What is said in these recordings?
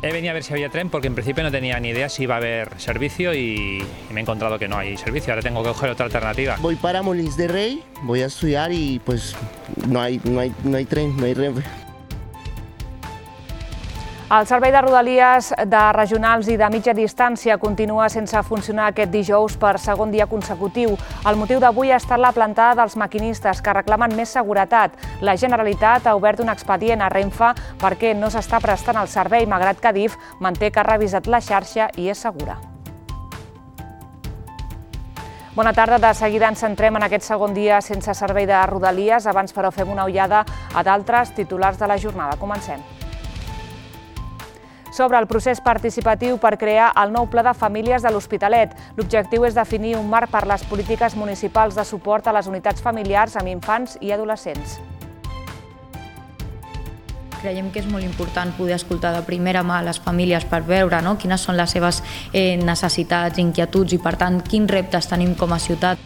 He venido a ver si había tren porque en principio no tenía ni idea si iba a haber servicio y me he encontrado que no hay servicio. Ahora tengo que coger otra alternativa. Voy para Molins de Rey, voy a estudiar y pues no hay tren, no hay Renfe. El servei de Rodalies de regionals i de mitja distància continua sense funcionar aquest dijous per segon dia consecutiu. El motiu d'avui ha estat la plantada dels maquinistes que reclamen més seguretat. La Generalitat ha obert un expedient a Renfe perquè no s'està prestant el servei, malgrat que Adif manté que ha revisat la xarxa i és segura. Bona tarda. De seguida ens centrem en aquest segon dia sense servei de Rodalies. Abans, però, fem una ullada a d'altres titulars de la jornada. Comencem. Sobre el procés participatiu per crear el nou Pla de Famílies de l'Hospitalet. L'objectiu és definir un marc per les polítiques municipals de suport a les unitats familiars amb infants i adolescents. Creiem que és molt important poder escoltar de primera mà les famílies per veure quines són les seves necessitats, inquietuds i, per tant, quins reptes tenim com a ciutat.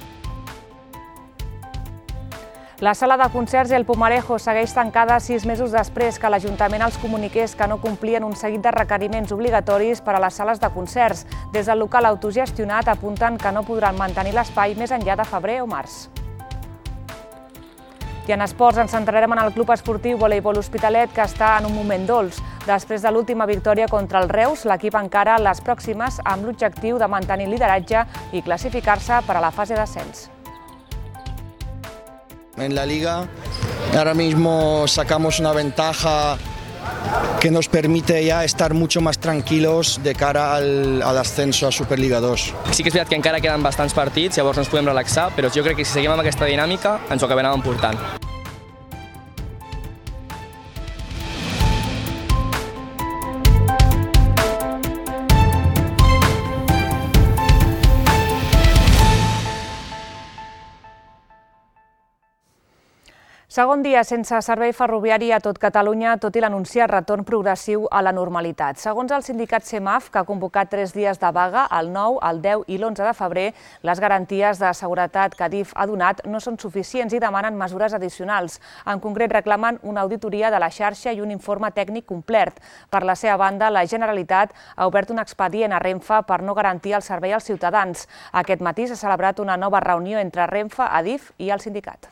La sala de concerts i el Pumarejo segueix tancada 6 mesos després que l'Ajuntament els comuniqués que no complien un seguit de requeriments obligatoris per a les sales de concerts. Des del local autogestionat apunten que no podran mantenir l'espai més enllà de febrer o març. I en esports ens centrarem en el Club Esportiu Voleibol Hospitalet, que està en un moment dolç. Després de l'última victòria contra el Reus, l'equip encara les pròximes amb l'objectiu de mantenir lideratge i classificar-se per a la fase d'ascens. En la liga ahora mismo sacamos una ventaja que nos permite ya estar mucho más tranquilos de cara al ascenso a Superliga 2. Sí que és veritat que encara queden bastants partits, llavors no ens podem relaxar, però jo crec que si seguim amb aquesta dinàmica ens ho acabarem emportant. Segon dia sense servei ferroviari a tot Catalunya, tot i l'anunciat retorn progressiu a la normalitat. Segons el sindicat CEMAF, que ha convocat 3 dies de vaga, el 9, el 10 i l'11 de febrer, les garanties de seguretat que Adif ha donat no són suficients i demanen mesures addicionals. En concret, reclamen una auditoria de la xarxa i un informe tècnic complet. Per la seva banda, la Generalitat ha obert un expedient a Renfe per no garantir el servei als ciutadans. Aquest matí s'ha celebrat una nova reunió entre Renfe, Adif i el sindicat.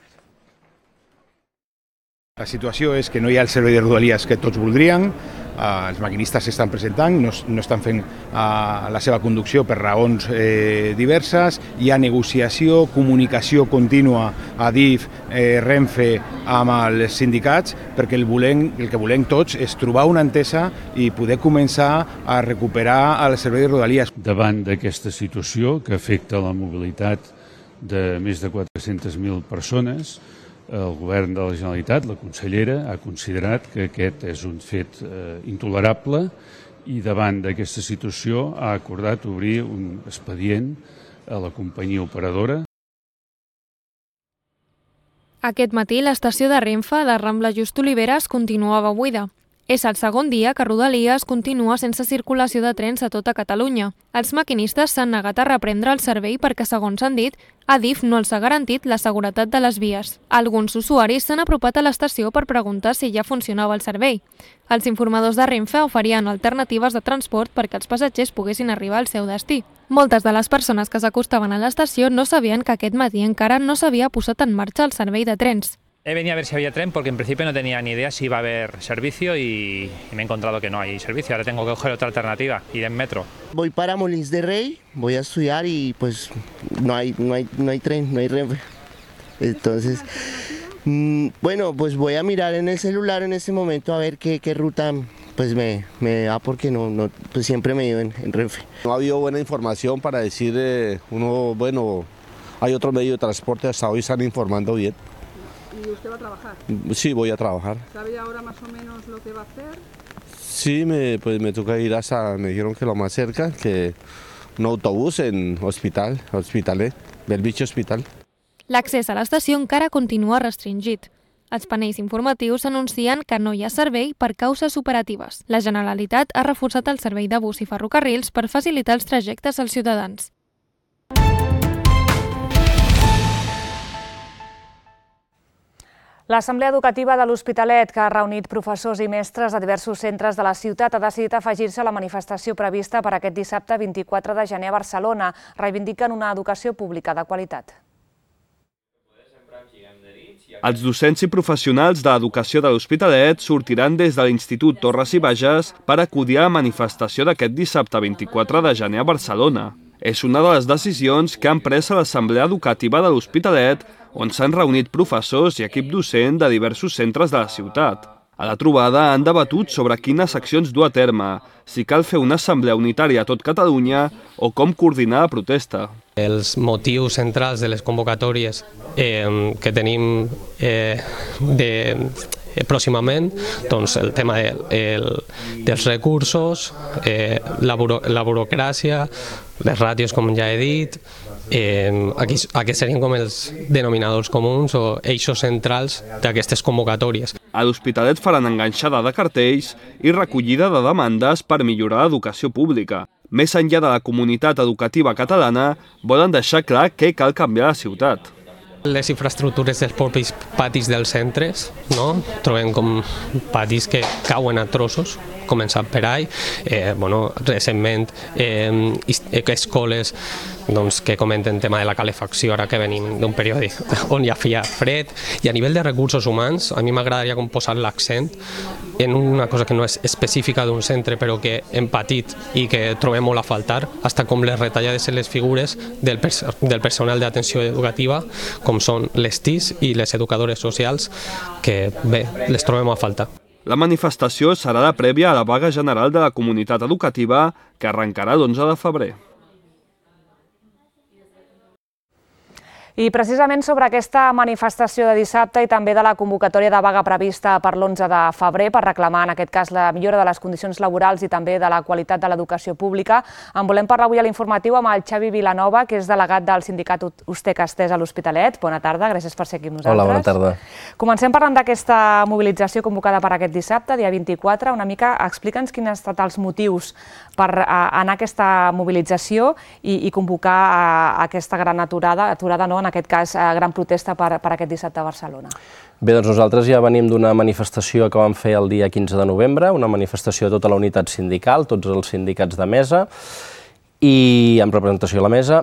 La situació és que no hi ha el servei de Rodalies que tots voldrien, els maquinistes s'estan presentant, no estan fent la seva conducció per raons diverses, hi ha negociació, comunicació contínua a DIF, Renfe amb els sindicats, perquè el que volem tots és trobar una entesa i poder començar a recuperar el servei de Rodalies. Davant d'aquesta situació que afecta la mobilitat de més de 400.000 persones, el govern de la Generalitat, la consellera, ha considerat que aquest és un fet intolerable i davant d'aquesta situació ha acordat obrir un expedient a la companyia operadora. Aquest matí l'estació de Renfe de Rambla Just Oliveres continuava buida. És el segon dia que Rodalies continua sense circulació de trens a tota Catalunya. Els maquinistes s'han negat a reprendre el servei perquè, segons han dit, Adif no els ha garantit la seguretat de les vies. Alguns usuaris s'han apropat a l'estació per preguntar si ja funcionava el servei. Els informadors de Renfe oferien alternatives de transport perquè els passatgers poguessin arribar al seu destí. Moltes de les persones que s'acostaven a l'estació no sabien que aquest matí encara no s'havia posat en marxa el servei de trens. He venido a ver si había tren porque en principio no tenía ni idea si iba a haber servicio y me he encontrado que no hay servicio. Ahora tengo que coger otra alternativa, ir en metro. Voy para Molins de Rey, voy a estudiar y pues no hay tren, no hay Renfe. Entonces, bueno, pues voy a mirar en el celular en este momento a ver qué ruta pues me da, porque pues siempre me he ido en Renfe. No ha habido buena información para decir hay otro medio de transporte, hasta hoy están informando bien. ¿Y usted va a trabajar? Sí, voy a trabajar. ¿Sabe ahora más o menos lo que va a hacer? Sí, me toca ir me dijeron que lo más cerca, que un autobús en Hospitalet, Bellvitge Hospital. L'accés a l'estació encara continua restringit. Els panells informatius anuncien que no hi ha servei per causes operatives. La Generalitat ha reforçat el servei de bus i ferrocarrils per facilitar els trajectes als ciutadans. L'Assemblea Educativa de l'Hospitalet, que ha reunit professors i mestres de diversos centres de la ciutat, ha decidit afegir-se a la manifestació prevista per aquest dissabte 24 de gener a Barcelona. Reivindiquen una educació pública de qualitat. Els docents i professionals de l'educació de l'Hospitalet sortiran des de l'Institut Torres i Bages per acudir a la manifestació d'aquest dissabte 24 de gener a Barcelona. És una de les decisions que han pres a l'Assemblea Educativa de l'Hospitalet, on s'han reunit professors i equip docent de diversos centres de la ciutat. A la trobada han debatut sobre quines accions dur a terme, si cal fer una assemblea unitària a tot Catalunya o com coordinar la protesta. Els motius centrals de les convocatòries que tenim pròximament, doncs el tema dels recursos, la burocràcia, les ràtios, com ja he dit, aquests serien com els denominadors comuns o eixos centrals d'aquestes convocatòries. A l'Hospitalet faran enganxada de cartells i recollida de demandes per millorar l'educació pública. Més enllà de la comunitat educativa catalana, volen deixar clar què cal canviar a la ciutat. Les infraestructures dels propis patis dels centres, no? Trobem com patis que cauen a trossos, començant per ahí. Recentment, escoles que comenten el tema de la calefacció, ara que venim d'un període on ja feia fred. I a nivell de recursos humans, a mi m'agradaria posar l'accent en una cosa que no és específica d'un centre, però que hem patit i que trobem molt a faltar, fins com les retallades en les figures del personal d'atenció educativa, com són les TIS i les educadores socials, que bé, les trobem a faltar. La manifestació serà la prèvia a la vaga general de la comunitat educativa, que arrencarà l'11 de febrer. I precisament sobre aquesta manifestació de dissabte i també de la convocatòria de vaga prevista per l'11 de febrer per reclamar en aquest cas la millora de les condicions laborals i també de la qualitat de l'educació pública, en volem parlar avui a l'informatiu amb el Xavi Vilanova, que és delegat del sindicat Ustec-Estès a l'Hospitalet. Bona tarda, gràcies per ser aquí amb nosaltres. Hola, bona tarda. Comencem parlant d'aquesta mobilització convocada per aquest dissabte, dia 24. Una mica explica'ns quins han estat els motius per anar a aquesta mobilització i convocar aquesta gran aturada no, en aquest cas, gran protesta per aquest dissabte a Barcelona. Bé, doncs nosaltres ja venim d'una manifestació que vam fer el dia 15 de novembre, una manifestació de tota la unitat sindical, tots els sindicats de mesa, i amb representació a la mesa,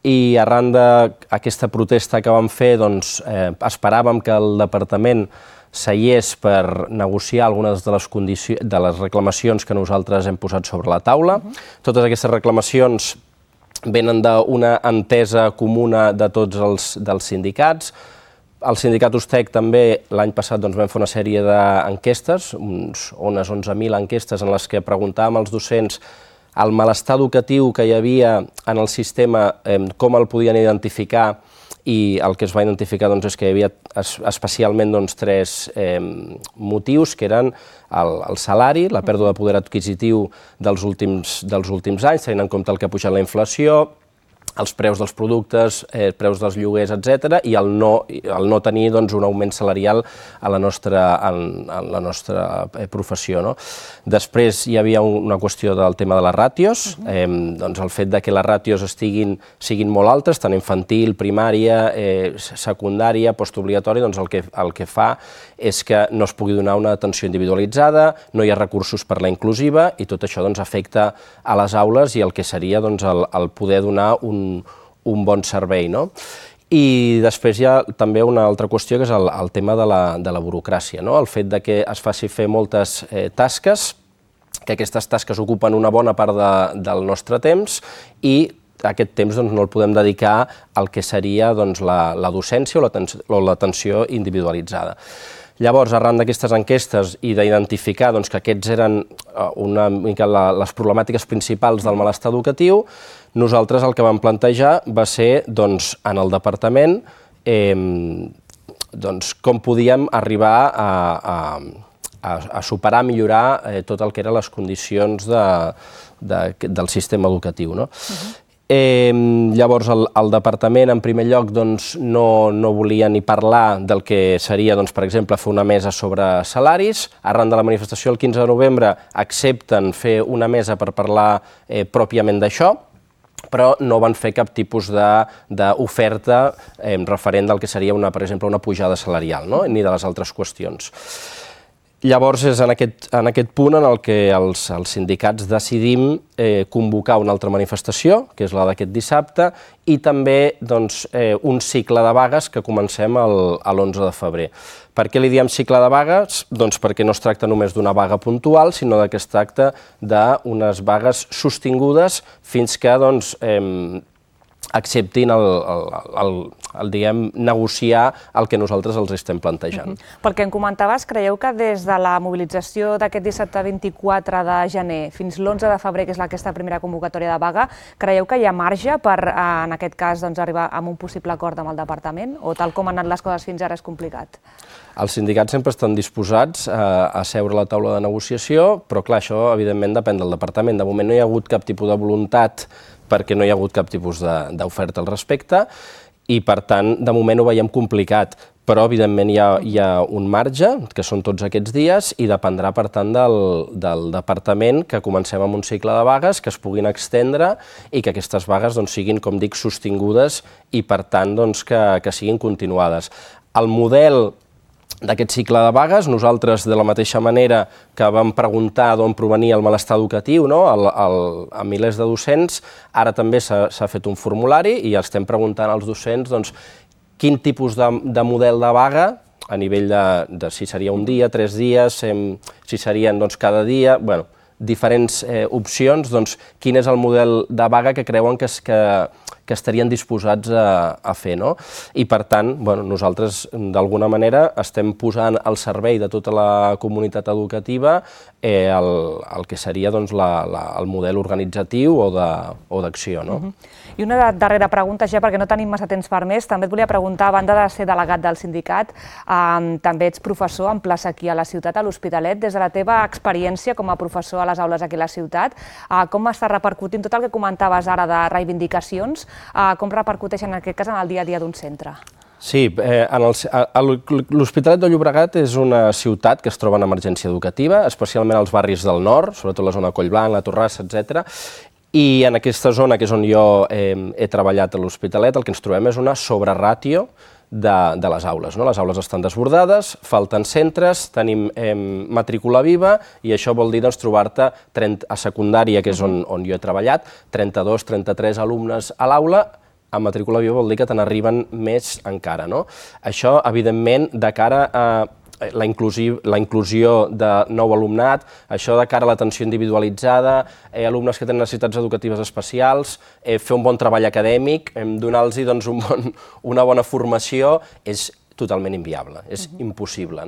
i arran d'aquesta protesta que vam fer, doncs, esperàvem que el departament seiés per negociar algunes de les reclamacions que nosaltres hem posat sobre la taula. Totes aquestes reclamacions venen d'una entesa comuna de tots els sindicats. El sindicat Ustec també l'any passat vam fer una sèrie d'enquestes, unes 11.000 enquestes en les que preguntàvem als docents el malestar educatiu que hi havia en el sistema, com el podien identificar, i el que es va identificar és que hi havia especialment tres motius, que eren el salari, la pèrdua de poder adquisitiu dels últims anys, tenint en compte el que ha pujat la inflació, els preus dels productes, preus dels lloguers, etc., i el no tenir un augment salarial a la nostra professió. Després hi havia una qüestió del tema de les ràtios, el fet que les ràtios siguin molt altes, tant infantil, primària, secundària, postobligatòria, el que fa és que no es pugui donar una atenció individualitzada, no hi ha recursos per la inclusiva, i tot això afecta a les aules i el que seria el poder donar un bon servei. I després hi ha també una altra qüestió, que és el tema de la burocràcia, el fet que es faci fer moltes tasques, que aquestes tasques ocupen una bona part del nostre temps i aquest temps no el podem dedicar al que seria la docència o l'atenció individualitzada. Llavors, arran d'aquestes enquestes i d'identificar que aquests eren una mica les problemàtiques principals del malestar educatiu, nosaltres el que vam plantejar va ser, en el departament, com podíem arribar a superar, a millorar tot el que eren les condicions del sistema educatiu. Llavors, el departament, en primer lloc, no volia ni parlar del que seria, per exemple, fer una mesa sobre salaris. Arran de la manifestació el 15 de novembre accepten fer una mesa per parlar pròpiament d'això, però no van fer cap tipus d'oferta referent del que seria, per exemple, una pujada salarial, no? Ni de les altres qüestions. Llavors és en aquest punt en el que els sindicats decidim convocar una altra manifestació, que és la d'aquest dissabte, i també un cicle de vagues que comencem l'11 de febrer. Per què li diem cicle de vagues? Doncs perquè no es tracta només d'una vaga puntual, sinó que es tracta d'unes vagues sostingudes fins que acceptin negociar el que nosaltres els estem plantejant. Pel que em comentaves, creieu que des de la mobilització d'aquest dissabte 24 de gener fins l'11 de febrer, que és aquesta primera convocatòria de vaga, creieu que hi ha marge per, en aquest cas, arribar a un possible acord amb el departament? O tal com han anat les coses fins ara és complicat? Els sindicats sempre estan disposats a seure a la taula de negociació, però clar, això evidentment depèn del departament. De moment no hi ha hagut cap tipus de voluntat perquè no hi ha hagut cap tipus d'oferta al respecte i, per tant, de moment ho veiem complicat, però, evidentment, hi ha un marge, que són tots aquests dies, i dependrà, per tant, del departament que comencem amb un cicle de vagues, que es puguin extendre i que aquestes vagues siguin, com dic, sostingudes i, per tant, que siguin continuades. El model d'aquest cicle de vagues, nosaltres, de la mateixa manera que vam preguntar d'on provenia el malestar educatiu a milers de docents, ara també s'ha fet un formulari i estem preguntant als docents quin tipus de model de vaga, a nivell de si seria un dia, 3 dies, si serien cada dia, diferents opcions, quin és el model de vaga que creuen que estarien disposats a fer, no? I, per tant, nosaltres, d'alguna manera, estem posant al servei de tota la comunitat educativa el que seria el model organitzatiu o d'acció, no? I una darrera pregunta, ja perquè no tenim massa temps per més, també et volia preguntar, a banda de ser delegat del sindicat, també ets professor en plaça aquí a la ciutat, a l'Hospitalet. Des de la teva experiència com a professor a les aules aquí a la ciutat, com està repercutint tot el que comentaves ara de reivindicacions, com repercuteixen en aquest cas en el dia a dia d'un centre? Sí, l'Hospitalet de Llobregat és una ciutat que es troba en emergència educativa, especialment als barris del nord, sobretot la zona Collblanc, la Torrassa, etc. I en aquesta zona, que és on jo he treballat a l'Hospitalet, el que ens trobem és una sobreràtio de les aules. Les aules estan desbordades, falten centres, tenim matrícula viva i això vol dir trobar-te a secundària, que és on jo he treballat, 32, 33 alumnes a l'aula. A matrícula viva vol dir que te n'arriben més encara. Això, evidentment, de cara a la inclusió de nou alumnat, això de cara a l'atenció individualitzada, alumnes que tenen necessitats educatives especials, fer un bon treball acadèmic, donar-los una bona formació, és totalment inviable, és impossible.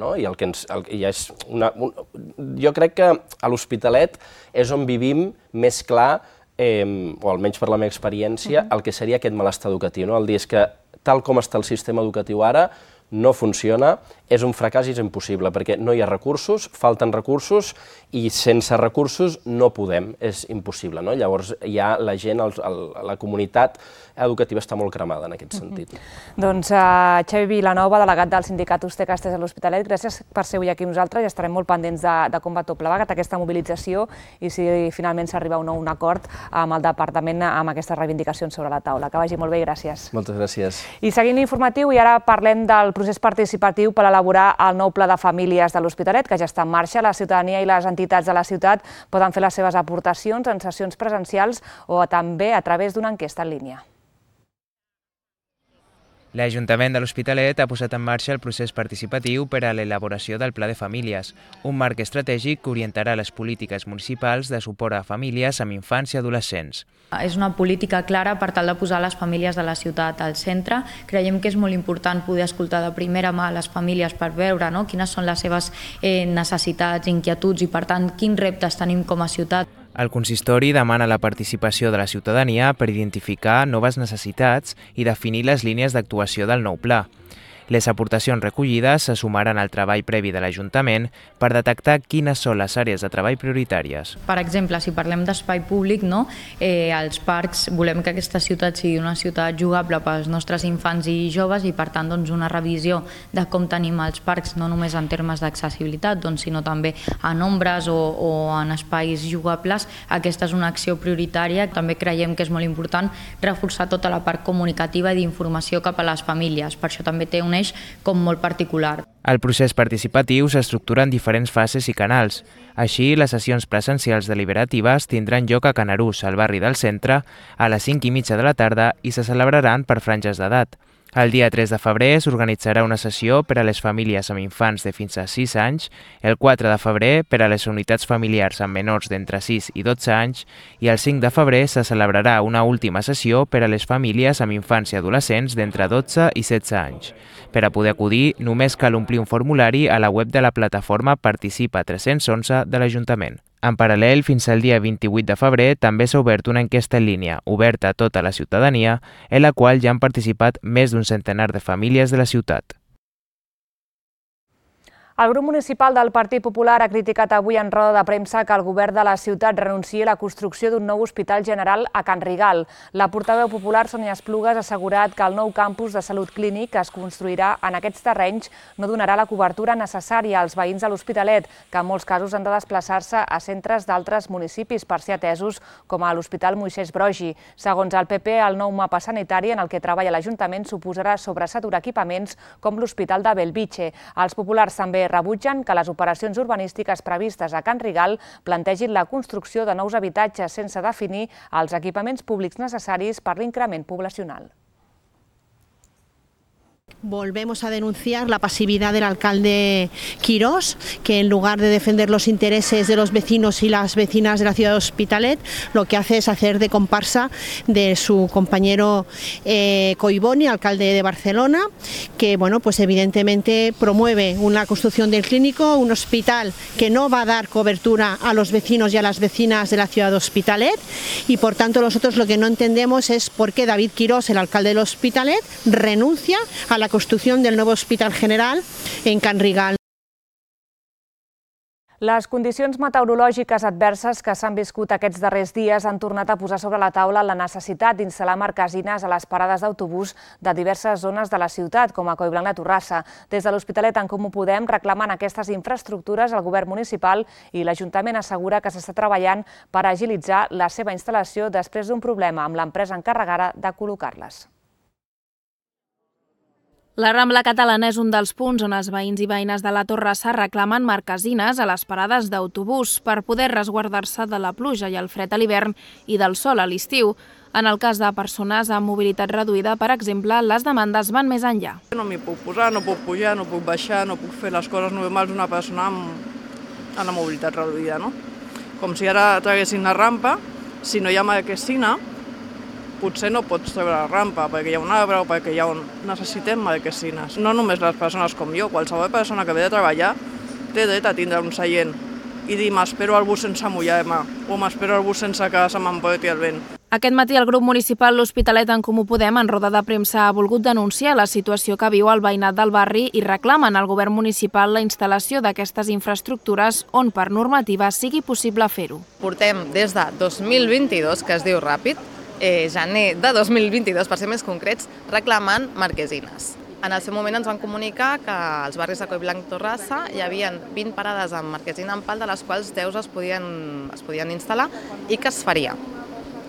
Jo crec que a l'Hospitalet és on vivim més clar, o almenys per la meva experiència, el que seria aquest malestar educatiu. El dir és que, tal com està el sistema educatiu ara, no funciona, és un fracàs i és impossible, perquè no hi ha recursos, falten recursos, i sense recursos no podem, és impossible. Llavors, ja la gent, la comunitat educativa està molt cremada en aquest sentit. Doncs Xavi Vilanova, delegat del sindicat Ustecastes a l'Hospitalet, gràcies per ser avui aquí amb nosaltres i estarem molt pendents de com va tot plegat, aquesta mobilització, i si finalment s'arriba a un acord amb el departament amb aquestes reivindicacions sobre la taula. Que vagi molt bé i gràcies. Moltes gràcies. I seguint l'informatiu, i ara parlem del procés participatiu per elaborar el nou pla de famílies de l'Hospitalet, que ja està en marxa. La ciutadania i les entitats de la ciutat poden fer les seves aportacions en sessions presencials o també a través d'una enquesta en línia. L'Ajuntament de l'Hospitalet ha posat en marxa el procés participatiu per a l'elaboració del Pla de Famílies, un marc estratègic que orientarà les polítiques municipals de suport a famílies amb infants i adolescents. És una política clara per tal de posar les famílies de la ciutat al centre. Creiem que és molt important poder escoltar de primera mà les famílies per veure quines són les seves necessitats, inquietuds i, per tant, quins reptes tenim com a ciutat. El consistori demana la participació de la ciutadania per identificar noves necessitats i definir les línies d'actuació del nou pla. Les aportacions recollides se sumaran al treball previ de l'Ajuntament per detectar quines són les àrees de treball prioritàries. Per exemple, si parlem d'espai públic, als parcs volem que aquesta ciutat sigui una ciutat jugable pels nostres infants i joves i, per tant, una revisió de com tenim els parcs, no només en termes d'accessibilitat, sinó també en ombres o en espais jugables. Aquesta és una acció prioritària. També creiem que és molt important reforçar tota la part comunicativa i d'informació cap a les famílies. Per això també té un eix com molt particular. El procés participatiu s'estructura en diferents fases i canals. Així, les sessions presencials deliberatives tindran lloc a Canarús, al barri del centre, a les 5:30 de la tarda i se celebraran per franges d'edat. El dia 3 de febrer s'organitzarà una sessió per a les famílies amb infants de fins a 6 anys, el 4 de febrer per a les unitats familiars amb menors d'entre 6 i 12 anys i el 5 de febrer se celebrarà una última sessió per a les famílies amb infants i adolescents d'entre 12 i 16 anys. Per a poder acudir, només cal omplir un formulari a la web de la plataforma Participa 311 de l'Ajuntament. En paral·lel, fins al dia 28 de febrer també s'ha obert una enquesta en línia, oberta a tota la ciutadania, en la qual ja han participat més d'un centenar de famílies de la ciutat. El grup municipal del Partit Popular ha criticat avui en roda de premsa que el govern de la ciutat renunciï a la construcció d'un nou hospital general a Can Rigal. La portaveu popular, Sònia Esplugues, ha assegurat que el nou campus de salut clínic que es construirà en aquests terrenys no donarà la cobertura necessària als veïns de l'Hospitalet, que en molts casos han de desplaçar-se a centres d'altres municipis per ser atesos, com a l'Hospital Moisès Broggi. Segons el PP, el nou mapa sanitari en el que treballa l'Ajuntament suposarà sobresaturar equipaments com l'Hospital de Bellvitge. Els populars també rebutgen que les operacions urbanístiques previstes a Can Rigal plantegin la construcció de nous habitatges sense definir els equipaments públics necessaris per l'increment poblacional. Volvemos a denunciar la pasividad del alcalde Quirós, que en lugar de defender los intereses de los vecinos y las vecinas de la ciudad de Hospitalet, lo que hace es hacer de comparsa de su compañero Collboni, alcalde de Barcelona, que pues evidentemente promueve una construcción del clínico, un hospital que no va a dar cobertura a los vecinos y a las vecinas de la ciudad de Hospitalet, y por tanto nosotros lo que no entendemos es por qué David Quirós, el alcalde del Hospitalet, renuncia a la construcción del nuevo Hospital General en Can Rigal. Les condicions meteorològiques adverses que s'han viscut aquests darrers dies han tornat a posar sobre la taula la necessitat d'instal·lar marquesines a les parades d'autobús de diverses zones de la ciutat, com a Collblanc de Torrassa. Des de l'Hospitalet en Comú Podem reclamen aquestes infraestructures al govern municipal i l'Ajuntament assegura que s'està treballant per agilitzar la seva instal·lació després d'un problema amb l'empresa encarregada de col·locar-les. La Rambla Catalana és un dels punts on els veïns i veïnes de la Torrassa reclamen marquesines a les parades d'autobús per poder resguardar-se de la pluja i el fred a l'hivern i del sol a l'estiu. En el cas de persones amb mobilitat reduïda, per exemple, les demandes van més enllà. No m'hi puc posar, no puc pujar, no puc baixar, no puc fer les coses normals d'una persona amb la mobilitat reduïda, no? Com si ara traguessin la rampa, si no hi ha marquesina, potser no pots treure la rampa perquè hi ha un arbre o perquè necessitem marquesines. No només les persones com jo, qualsevol persona que ve de treballar té dret a tindre un seient i dir m'espero al bus sense mullar-me o m'espero al bus sense que se m'emporti el vent. Aquest matí el grup municipal L'Hospitalet en Comú Podem en roda de premsa ha volgut denunciar la situació que viu el veïnat del barri i reclamen al govern municipal la instal·lació d'aquestes infraestructures on per normativa sigui possible fer-ho. Portem des de 2022, que es diu ràpid, gener de 2022, per ser més concrets, reclamant marquesines. En el seu moment ens van comunicar que als barris de Collblanc i Torrassa hi havia 20 parades amb marquesina en pal, de les quals 10 es podien instal·lar i que es faria.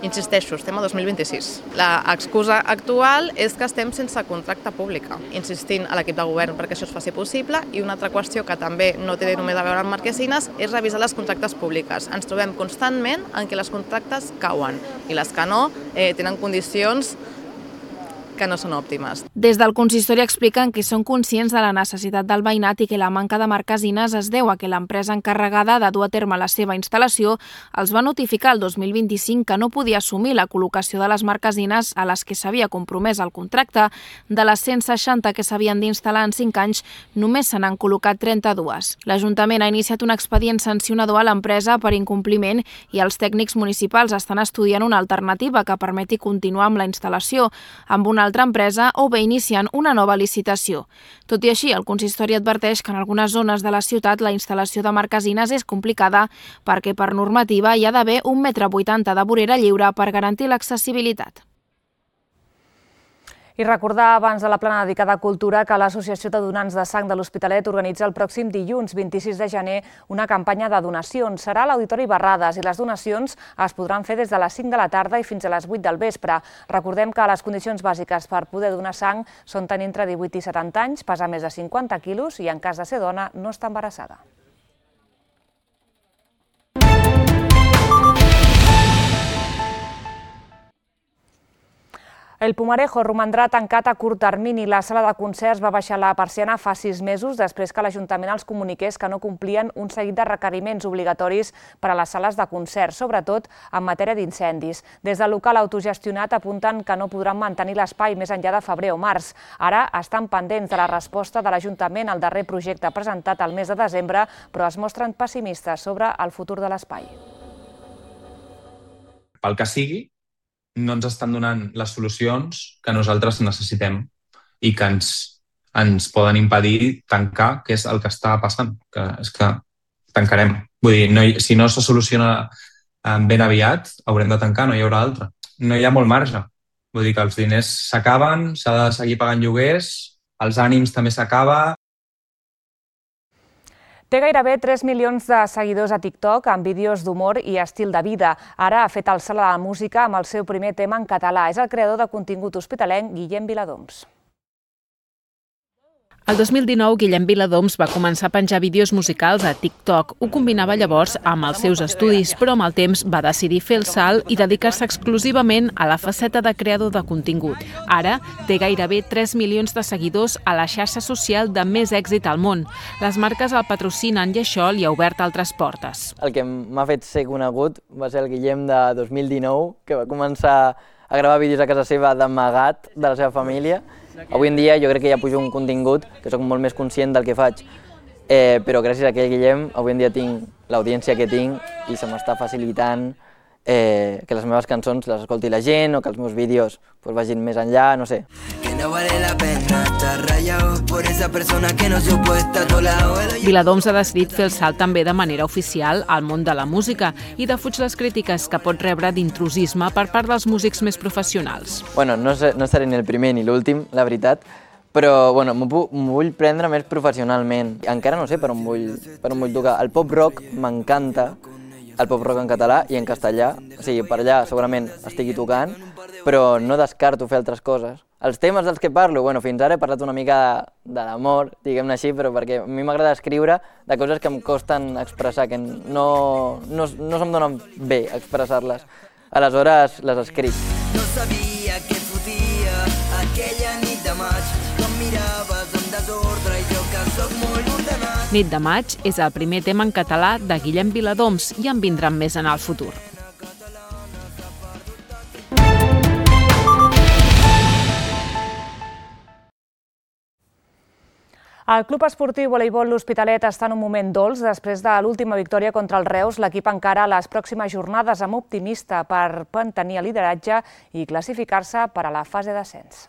Insisteixo, estem a 2026. La excusa actual és que estem sense contracte pública, insistint a l'equip de govern perquè això es faci possible, i una altra qüestió que també no té només a veure amb marquesines és revisar les contractes públiques. Ens trobem constantment en què les contractes cauen i les que no tenen condicions que no són òptimes. Des del consistori expliquen que són conscients de la necessitat del veïnat i que la manca de marquesines es deu a que l'empresa encarregada de dur a terme la seva instal·lació els va notificar el 2025 que no podia assumir la col·locació de les marquesines a les que s'havia compromès el contracte. De les 160 que s'havien d'instal·lar en 5 anys, només se n'han col·locat 32. L'Ajuntament ha iniciat un expedient sancionador a l'empresa per incompliment i els tècnics municipals estan estudiant una alternativa que permeti continuar amb la instal·lació. Amb una altra empresa o bé iniciant una nova licitació. Tot i així, el consistori adverteix que en algunes zones de la ciutat la instal·lació de marquesines és complicada perquè per normativa hi ha d'haver 1,80 m de vorera lliure per garantir l'accessibilitat. I recordar abans de la plana dedicada a cultura que l'Associació de Donants de Sang de l'Hospitalet organitza el pròxim dilluns 26 de gener una campanya de donacions. Serà a l'Auditori Barrades i les donacions es podran fer des de les 5 de la tarda i fins a les 8 del vespre. Recordem que les condicions bàsiques per poder donar sang són tenir entre 18 i 70 anys, pesar més de 50 quilos i en cas de ser dona no estar embarassada. El Pumarejo romandrà tancat a curt termini. La sala de concerts va baixar la persiana fa 6 mesos després que l'Ajuntament els comuniqués que no complien un seguit de requeriments obligatoris per a les sales de concerts, sobretot en matèria d'incendis. Des del local autogestionat apunten que no podran mantenir l'espai més enllà de febrer o març. Ara estan pendents de la resposta de l'Ajuntament al darrer projecte presentat al mes de desembre, però es mostren pessimistes sobre el futur de l'espai. Pel que sigui, no ens estan donant les solucions que nosaltres necessitem i que ens poden impedir tancar, que és el que està passant, que és que tancarem. Vull dir, si no se soluciona ben aviat, haurem de tancar, no hi haurà altra. No hi ha molt marge. Vull dir que els diners s'acaben, s'ha de seguir pagant lloguers, els ànims també s'acaba. Té gairebé 3 milions de seguidors a TikTok amb vídeos d'humor i estil de vida. Ara ha fet el salt a la música amb el seu primer tema en català. És el creador de contingut hospitalenc Guillem Viladoms. El 2019, Guillem Viladoms va començar a penjar vídeos musicals a TikTok. Ho combinava llavors amb els seus estudis, però amb el temps va decidir fer el salt i dedicar-se exclusivament a la faceta de creador de contingut. Ara té gairebé 3 milions de seguidors a la xarxa social de més èxit al món. Les marques el patrocinen i això li ha obert altres portes. El que m'ha fet ser conegut va ser el Guillem de 2019, que va començar a gravar vídeos a casa seva d'amagat de la seva família. Avui en dia jo crec que ja pujo un contingut que soc molt més conscient del que faig, però gràcies a aquell Guillem avui en dia tinc l'audiència que tinc i se m'està facilitant que les meves cançons les escolti la gent o que els meus vídeos vagin més enllà, no sé. Viladoms ha decidit fer el salt també de manera oficial al món de la música i defuig les crítiques que pot rebre d'intrusisme per part dels músics més professionals. Bueno, no seré ni el primer ni l'últim, la veritat, però m'ho vull prendre més professionalment. Encara no sé per on vull tocar. El pop-rock m'encanta, el pop-rock en català i en castellà. O sigui, per allà segurament estigui tocant, però no descarto fer altres coses. Els temes dels que parlo, fins ara he parlat una mica de l'amor, diguem-ne així, però perquè a mi m'agrada escriure de coses que em costen expressar, que no se'm donen bé expressar-les. Aleshores les escric. No sabia què et fotia aquella nit de maig, quan miraves amb desordre i jo que soc molt ordenat. Nit de maig és el primer tema en català de Guillem Viladoms i en vindran més en el futur. El Club Esportiu Voleibol L'Hospitalet està en un moment dolç. Després de l'última victòria contra el Reus, l'equip encara les pròximes jornades amb optimista per mantenir el lideratge i classificar-se per a la fase d'ascens.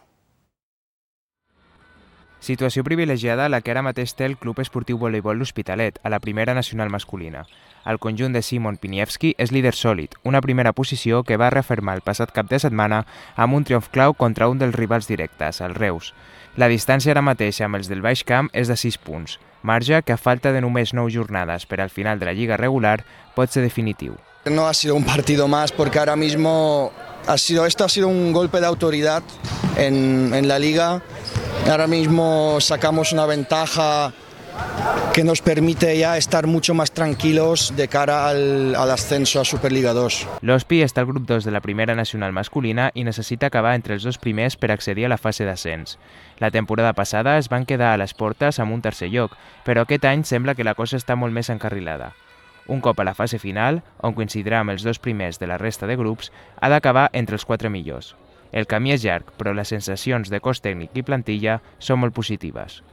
Situació privilegiada la que ara mateix té el Club Esportiu Voleibol L'Hospitalet, a la primera nacional masculina. El conjunt de Simon Piniewski és líder sòlid, una primera posició que va refermar el passat cap de setmana amb un triomf clau contra un dels rivals directes, el Reus. La distància ara mateix amb els del Baix Camp és de 6 punts, marge que a falta de només 9 jornades per al final de la lliga regular pot ser definitiu. No ha sido un partido más porque ahora mismo esto ha sido un golpe de autoridad en la liga. Ahora mismo sacamos una ventaja que nos permite ya estar mucho más tranquilos de cara al ascenso a Superliga 2. L'Hospi està al grup 2 de la primera nacional masculina i necessita acabar entre els 2 primers per accedir a la fase d'ascens. La temporada passada es van quedar a les portes amb un tercer lloc, però aquest any sembla que la cosa està molt més encarrilada. Un cop a la fase final, on coincidirà amb els 2 primers de la resta de grups, ha d'acabar entre els 4 millors. El camí és llarg, però les sensacions de cos tècnic i plantilla són molt positives.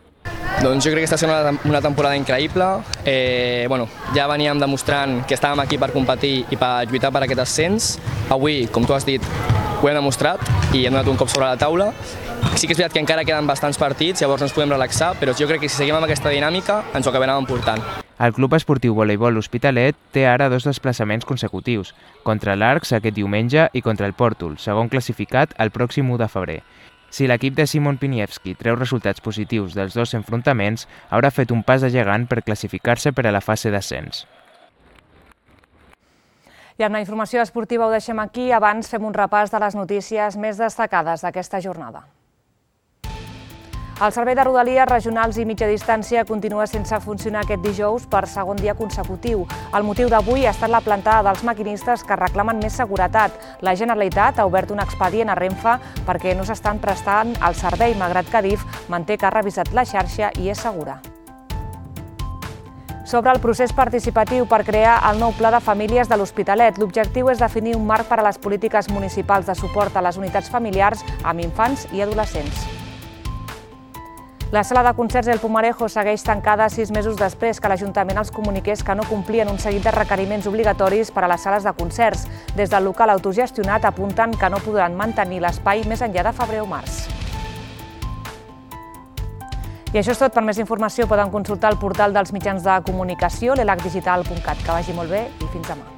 Doncs jo crec que està sent una temporada increïble. Ja veníem demostrant que estàvem aquí per competir i per lluitar per aquest ascens. Avui, com tu has dit, ho hem demostrat i hem donat un cop sobre la taula. Sí que és veritat que encara queden bastants partits, llavors ens podem relaxar, però jo crec que si seguim amb aquesta dinàmica ens ho acabarem emportant. El Club Esportiu Voleibol L'Hospitalet té ara 2 desplaçaments consecutius, contra l'Arcs aquest diumenge i contra el Pòrtol, segon classificat el pròxim 1 de febrer. Si l'equip de Simon Piniewski treu resultats positius dels 2 enfrontaments, haurà fet un pas de gegant per classificar-se per a la fase d'ascens. I amb la informació esportiva ho deixem aquí. Abans fem un repàs de les notícies més destacades d'aquesta jornada. El servei de Rodalies regionals i mitja distància continua sense funcionar aquest dijous per segon dia consecutiu. El motiu d'avui ha estat la plantada dels maquinistes que reclamen més seguretat. La Generalitat ha obert un expedient a Renfe perquè no s'estan prestant el servei, malgrat que Adif manté que ha revisat la xarxa i és segura. Sobre el procés participatiu per crear el nou Pla de Famílies de l'Hospitalet, l'objectiu és definir un marc per a les polítiques municipals de suport a les unitats familiars amb infants i adolescents. La sala de concerts El Pumarejo segueix tancada 6 mesos després que l'Ajuntament els comuniqués que no complien un seguit de requeriments obligatoris per a les sales de concerts. Des del local autogestionat apunten que no podran mantenir l'espai més enllà de febrer o març. I això és tot. Per més informació poden consultar el portal dels mitjans de comunicació, l'elacdigital.cat. Que vagi molt bé i fins demà.